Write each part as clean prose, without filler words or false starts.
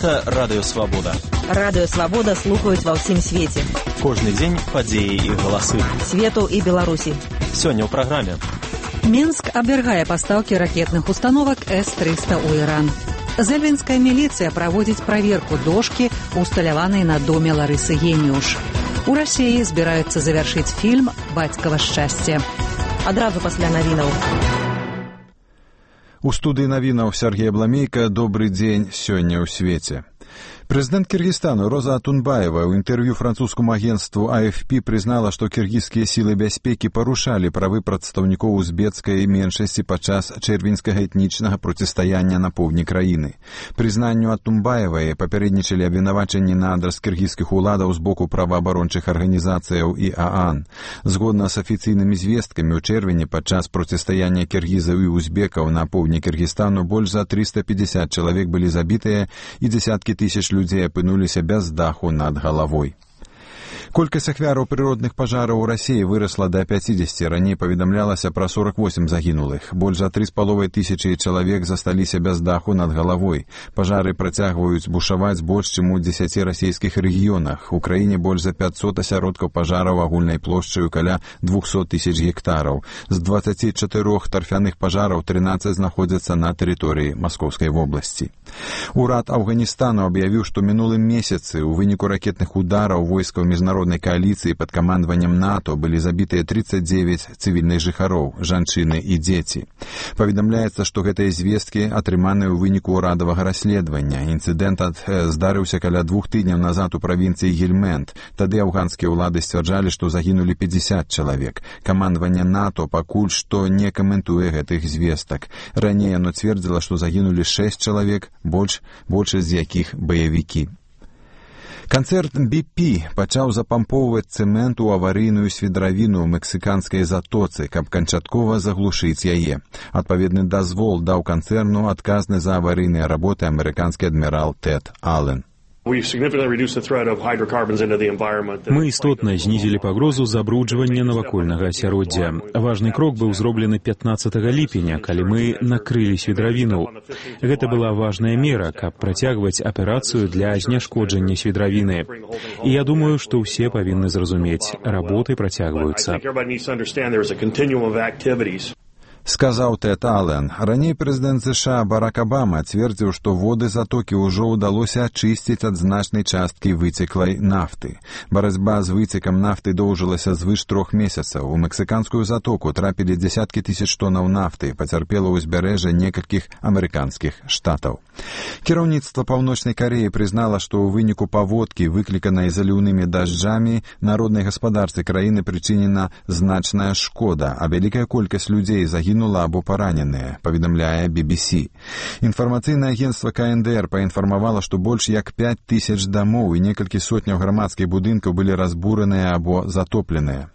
Гэта Радыё Свабода. Радыё Свабода слухаюць ва ўсім свеце. Кожны дзень падзеі і галасы. Свету і Беларусі. Сёння ў праграме. Мінск абвяргае пастаўкі ракетных установак С-300 ў Іран. Зэльвінская міліцыя праводзіць праверку дошкі, усталяванай на доме Ларысы Геніуш. У Расіі збіраюцца завяршыць фільм «Бацькава шчасце». Адразу пасля навінаў. У студыі навінаў Сергей Бламейка. Добры дзень сёння ў свеце. Прэзідэнт Кыргызстану Роза Атунбаева ў інтэрв'ю французскому агентству АФП прызнала, што кіргізскія сілы бяспекі парушалі правы прадстаўнікоў узбецкай меншасці падчас чэрвеньскага этнічнага процістаяння на поўдні краіны. Прызнанню Атунбаевай папярэднічалі абвінавачанні на адрас кіргізскіх уладаў з боку праваабарончых арганізацыяў і ААН. Згодна з афіцыйнымі звесткамі, у чэрвені падчас процістаяння кіргізаў і узбекаў на поўдні Кыргызстану больш за 350 чалавек былі забітыя і дзесяткі тысяч людзей апынуліся без даху над галавой. Колькасць ахвяраў прыродных пажараў у Расіі вырасла да 50, раней паведамлялася пра 48 загінулых. Больш за 3,5 тысячы чалавек засталіся без даху над галавой. Пажары працягваюць бушаваць больш чым у 10 расійскіх рэгіёнах. У краіне больш за 500 асяродкаў пажараў агульнай плошчаю каля 200 тысяч гектараў. З 24 тарфяных пажараў 13 знаходзяцца на тэрыторыі Маскоўскай вобласці. Урад Афганістану аб'явіў, што мінулым месяцы ў выніку ракетных удараў войскаў міжнароднай коаліцыі пад камандаваннем НАТО былі забітыя 39 цывільных жыхароў, жанчыны і дзеці. Паведамляецца, што гэтыя звесткі атрыманыя ў выніку ўрадавага расследавання. Інцыдэнт здарыўся каля 2 тыдняў назад у правінцыі Гельмэнд. Тады афганскія ўлады сцвярджалі, што загінулі 50 чалавек. Камандаванне НАТО пакуль што не каментуе гэтых звестак. Раней яно цвердзіла, што загінулі 6 чалавек, большасць з якіх баевікі. Канцэрн BP пачаў запампоўваць цэмент у аварыйную свідравіну ў мексіканскай затоцы, каб канчаткова заглушыць яе. Адпаведны дазвол даў канцэрну адказны за аварыйныя работы амерыканскі адмірал Тэд Аллен. Мы істотна знізілі пагрозу забруджвання навакольнага асяроддзя. Важны крок быў зроблены 15 ліпеня, калі мы накрылі свідравіну. Гэта была важная мера, каб працягваць аперацыю для зняшкоджання свідравіны. І я думаю, што ўсе павінны зразумець, работы працягваюцца. Сказаў Тэд Аллен. Раней прэзідэнт США Барак Абама цвердзіў, што воды затокі ўжо ўдалося ачысціць ад значнай часткі выцеклай нафты. Барацьба з выцекам нафты доўжылася звыш 3 месяцаў. У мексіканскую затоку трапілі дзесяткі тысяч тонаў нафты, пацярпела ўзбярэжжа некалькіх амерыканскіх штатаў. Кіраўніцтва Паўночнай Кареі прызнала, што ў выніку паводкі, выкліканай заліўнымі дажджамі, народнай гаспадарцы краіны прычынена значная шкода, а вялікая колькасць людзей загінула або параненыя, паведамляе BBC. Інфармацыйнае агенцтва КНДР паінфармавала, што больш як 5000 дамоў і некалькі сотняў грамадскіх будынкаў былі разбураныя або затопленыя.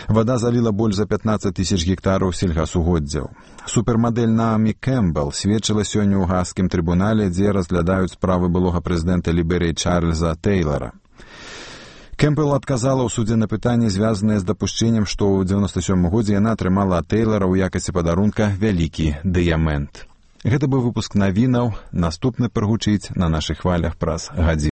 Вада заліла больш за 15 тысяч гектараў сельгасугоддзяў. Супермадэль Наамі Кэмпбелл сведчыла сёння ў гаагскім трыбунале, дзе разглядаюць справы былога прэзідэнта Ліберыі Чарльза Тэйлара. Кэмпбелл адказала ў судзе на пытанні, звязаныя з дапушчэннем, што ў 97 годзе яна атрымала ад Тэйлара ў якасці падарунка вялікі дыямент. Гэта быў выпуск навінаў. Наступны прагучыць на нашых хвалях праз гадзіну.